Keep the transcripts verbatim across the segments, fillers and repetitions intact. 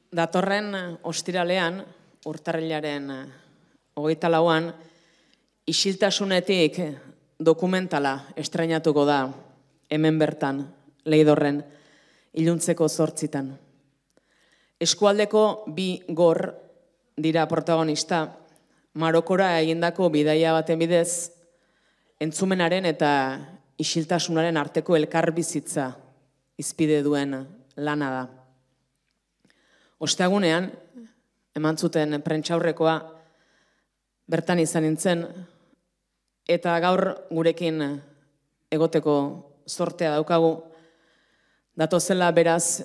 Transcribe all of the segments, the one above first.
Datorren ostiralean, urtarrilaren hogeita lauan, isiltasunetik dokumentala estreinatuko da hemen bertan, Leidorren, iluntzeko zortzitan. Eskualdeko bi gor dira protagonista, Marokora egindako bidaia baten bidez, entzumenaren eta isiltasunaren arteko elkarbizitza izpide duen lana da. Ostegunean, eman zuten prentsaurrekoa, bertan izan nintzen, eta gaur gurekin egoteko zortea daukagu, datozela beraz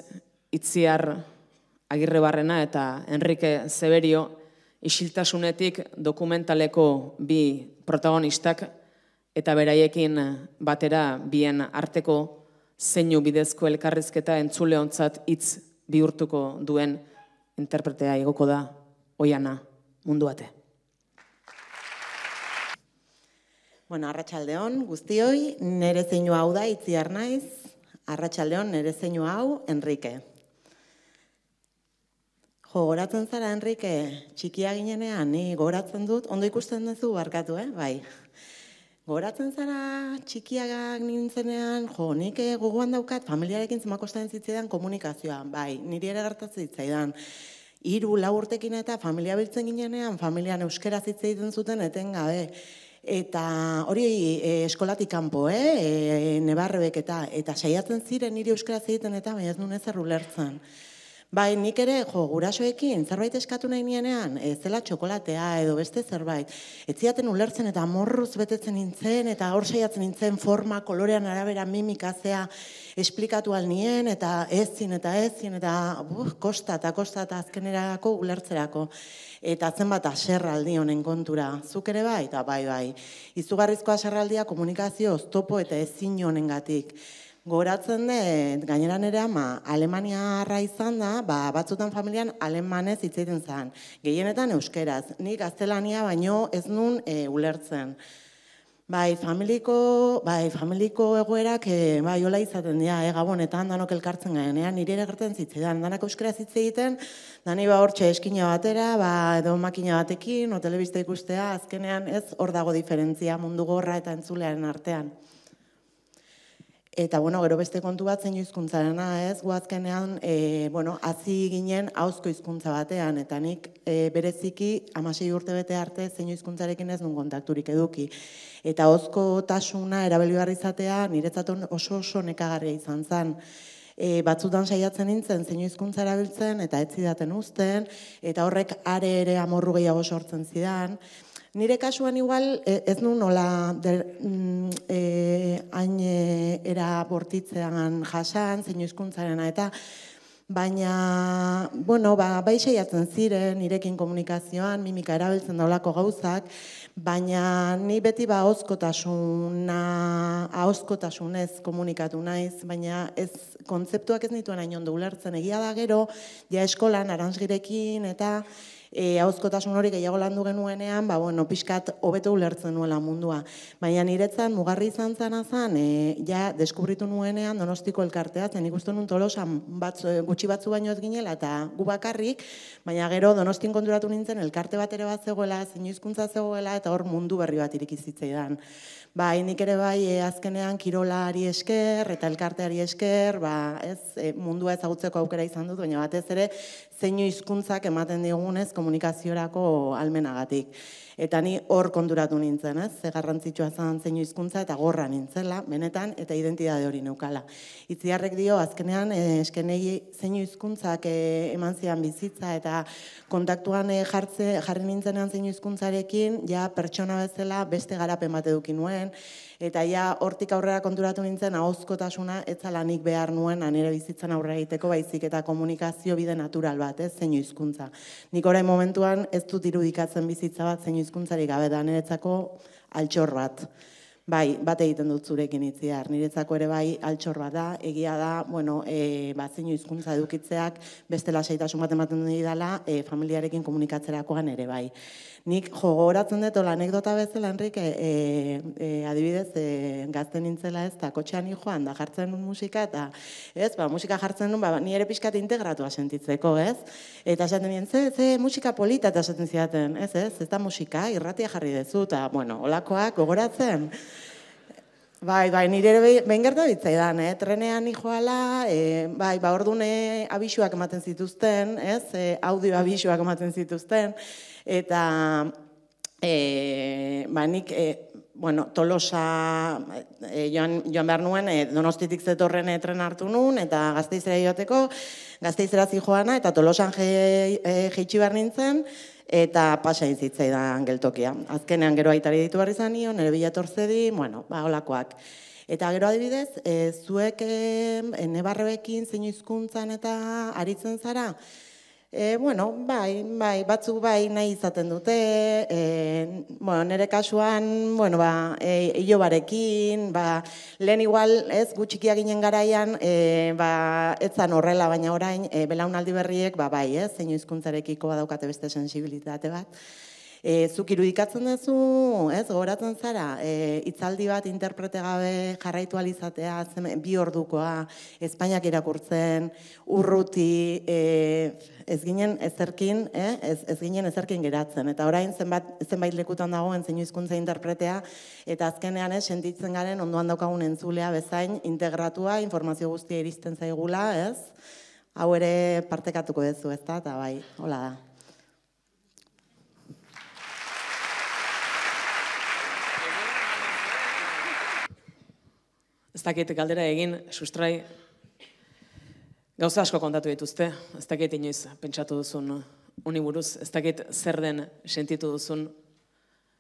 Itziar Agirrebarrena eta Enrique Zeberio, isiltasunetik dokumentaleko bi protagonistak, eta beraiekin batera bien arteko zeinu bidezko elkarrizketa entzuleontzat hitz bihurtuko duen interpretea igoko da Oiana Munduate. Bueno, arratsaldeon guztioi, nere zeinu hau da Itziar naiz, arratsaldeon nere zeinu hau Enrique. Jo, goratzen zara, Enrique, txikia ginenean, ni goratzen dut, ondo ikusten duzu barkatu, eh? Bai. Goratzen zara txikiagak nintzenean, jo, nik gogoan daukat, familiarekin zemakostatzen zitzaidan komunikazioa, bai, niri ere gertatzen zitzaidan. Hiru lau urtekin eta familia biltzen ginenean, familian euskera zitzaiten zuten etengabe. Eta hori eskolatik kanpo, eh? Nebarrebek eta, eta saiatzen ziren niri euskera zitzaiten eta, baina ez nuen ezer ulertzen. Bai, nik ere, jo, gurasoekin, zerbait eskatu nahi nienean, ez zela txokolatea edo beste zerbait. Ez ziaten ulertzen eta morruz betetzen nintzen, eta hor saiatzen nintzen forma, kolorean arabera mimikazea esplikatu alnien, eta ezin, eta ezin, eta buf, kosta eta kosta eta azkenerako ulertzerako. Eta zenbat aserraldi honen kontura. Zuk ere bai, eta bai, bai. Izugarrizko aserraldia komunikazio oztopo eta ezin honengatik. Goratzen dut, gainera nire ama, Alemaniarra izan da, ba, batzutan familian alemanez hitz egiten zen. Gehienetan euskeraz, nik gaztelania baino ez nun e, ulertzen. Bai, familiko, bai, familiko egoerak, e, bai, hola izaten dira, e, gabonetan danok elkartzen garenean, nire ere gertzen zitzaidan, danak euskeraz hitz egiten, dani ba hortxe eskina batera, ba, edo makina batekin, o telebista ikustea, azkenean ez hor dago diferentzia mundu gorra eta entzulearen artean. Eta, bueno, gero beste kontu bat zein hizkuntzarena, ez, guazkenean, e, bueno, hazi ginen ahozko hizkuntza batean, eta nik e, bereziki hamasei urte bete arte zein hizkuntzarekin ez nun kontakturik eduki. Eta ahozko tasuna erabili behar izatea niretzat oso oso nekagarria izan zen. E, batzutan saiatzen nintzen zein hizkuntza erabiltzen eta ez zidaten uzten, eta horrek are ere amorru gehiago sortzen zidan. Nire kasuan igual ez nuen nola hain era bortitzean jasan, zein hizkuntzarena eta baina, bueno, ba, bai saiatzen ziren, nirekin komunikazioan, mimika erabiltzen daulako gauzak, baina ni beti ba ahozkotasuna, ahozkotasunez komunikatu naiz, baina ez kontzeptuak ez nituen hain ondo ulertzen, egia da gero, ja eskolan Aranzgirekin eta E, ahozkotasun hori gehiago landu genuenean, ba, bueno, pixkat hobeto ulertzen nuela mundua. Baina niretzan, mugarri izan zana zen, e, ja, deskubritu nuenean Donostiko elkartea, zen ikusten nun Tolosan batzu, gutxi batzu baino ez ginela, eta gu bakarrik, baina gero Donostin konturatu nintzen, elkarte bat ere bat zegoela, zein hizkuntza zegoela, eta hor mundu berri bat irikizitzaidan. Ba, nik ere bai, e, azkenean kirolari esker, eta elkarteari esker, ba, ez, e, mundua ezagutzeko aukera izan dut, baina batez ere, zeinu hizkuntzak ematen digunez komunikaziorako almenagatik. Eta ni hor konturatu nintzen, ez? Ze garrantzitsua zen zeinu hizkuntza eta gorra nintzela, benetan, eta identitate hori neukala. Itziarrek dio, azkenean, eskenei zeinu hizkuntzak eman zidan bizitza eta kontaktuan jartze, jarri nintzenean zeinu hizkuntzarekin, ja pertsona bezala beste garapen bat eduki nuen, eta ja hortik aurrera konturatu nintzen ahozkotasuna ez zela nik behar nuen nire bizitzan aurrera egiteko baizik eta komunikazio bide natural bat, ez, zeinu hizkuntza. Nik orain momentuan ez dut irudikatzen bizitza bat zeinu hizkuntzarik gabe da niretzako altxor bat. Bai, bat egiten dut zurekin itziar. Niretzako ere bai altxor bat da, egia da, bueno, e, bat zeinu hizkuntza edukitzeak beste lasaitasun bat ematen didala, e, familiarekin komunikatzerakoan ere bai. Nik jogoratzen dut, ola anekdota bezala, Enrique, e, e, adibidez, e, gazten nintzela ez, eta kotxean joan, da jartzen nun musika, eta ez, ba, musika jartzen nun, ba, ni ere pixkat integratua sentitzeko, ez? Eta esaten nien, ze, ze, musika polita, eta esaten zidaten, ez, ez, ez da musika, irratia jarri dezu, eta, bueno, olakoak gogoratzen. Bai, bai, nire ere behin gertu ditzaidan, eh? Trenean nijoala, e, bai, ba, ordune abisuak ematen zituzten, ez? E, audio abisuak ematen zituzten, eta e, ba, nik, e, bueno, Tolosa e, joan, joan behar nuen, e, Donostitik zetorren e, tren hartu nuen, eta Gasteizera joateko, Gasteizera zijoana, eta Tolosan jeitsi behar nintzen, eta pasain zitzaidan geltokia. Azkenean gero aitari ditu behar izan nion, nire bila torzedi, bueno, ba, holakoak. Eta gero adibidez, e, zuek e, nebarrebekin zein hizkuntzan eta aritzen zara, e, bueno, bai, bai, batzuk bai nahi izaten dute, e, bueno, nire kasuan, bueno, ba, e, ilobarekin, ba, lehen igual, ez, gutxikia ginen garaian, e, ba, etzan horrela, baina orain, e, belaunaldi berriek, ba, bai, ez, zein hizkuntzarekiko badaukate beste sensibilitate bat. E, zuk irudikatzen duzu, ez, gogoratzen zara, e, hitzaldi bat interprete gabe jarraitu alizatea, bi ordukoa, Espainiak irakurtzen, urruti, e, ez ginen ezerkin, eh? ez, ez ginen ezerkin geratzen. Eta orain zenbat, zenbait lekutan dagoen zeinu hizkuntza interpretea, eta azkenean ez, sentitzen garen ondoan daukagun entzulea bezain integratua, informazio guztia iristen zaigula, ez? Hau ere partekatuko duzu, ez da, eta bai, hola da. Ez dakit galdera egin, sustrai, gauza asko kontatu dituzte, ez dakit inoiz pentsatu duzun uni buruz, ez dakit zer den sentitu duzun,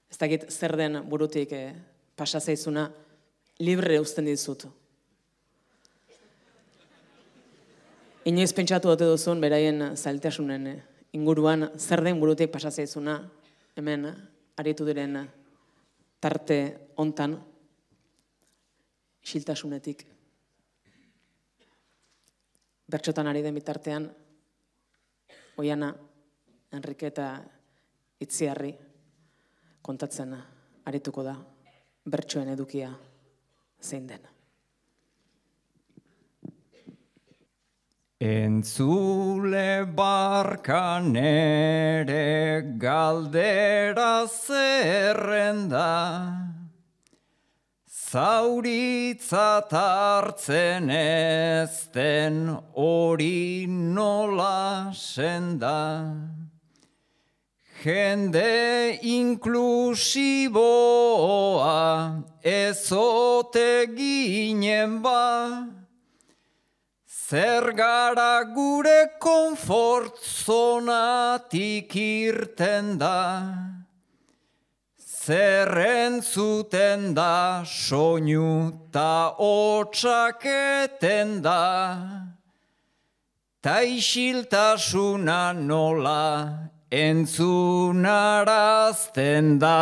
ez dakit zer den burutik eh, pasa zaizuna, libre uzten dizut. Inoiz pentsatu dute duzun, beraien zailtasunen inguruan, zer den burutik pasa zaizuna, hemen aritu diren tarte hontan, isiltasunetik. Bertxotan ari den bitartean, Oiana, Enrique eta Itziarri kontatzen arituko da bertsoen edukia zein den. Entzule barkan ere galdera zerrenda, zauritzat hartzen ez den hori nola senda. Jende inklusiboa ezote ginen ba, zer gara gure konfort zonatik irten da. Zer entzuten da, soinu ta hotsaketen da, ta isiltasuna nola entzunarazten da.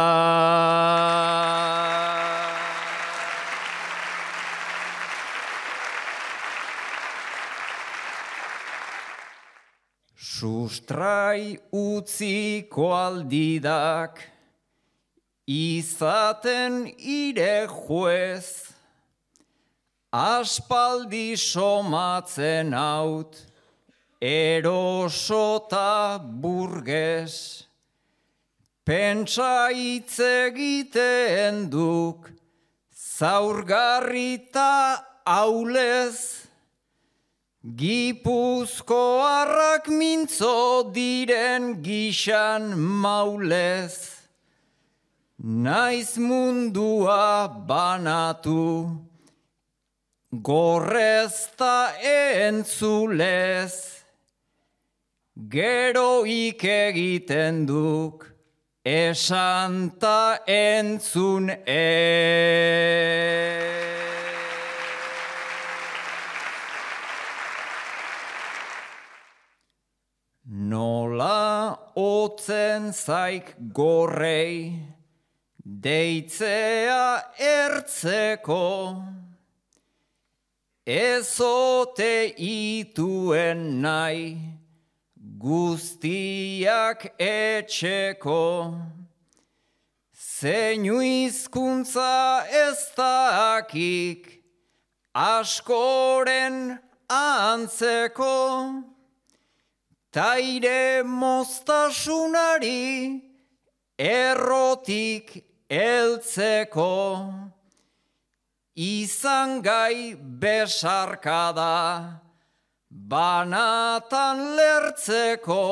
Sustrai utziko aldidak, izaten ire juez, aspaldi somatzen haut, erosota burges, pentsa hitz egiten duk, zaurgarrita aulez, Gipuzkoarrak mintzo diren gixan maulez, naiz mundua banatu, gorrezta entzulez, geroik egiten duk, esanta entzun ez. Nola otzen zaik gorrei, deitzea ertzeko, ezote ituen nahi, guztiak etxeko, zeinu hizkuntza ez dakik, askoren antzeko, taire moztasunari errotik eltzeko, izan gai besarkada, banatan lertzeko,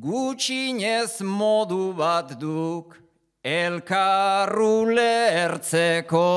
gutxinez modu bat duk elkarru lertzeko.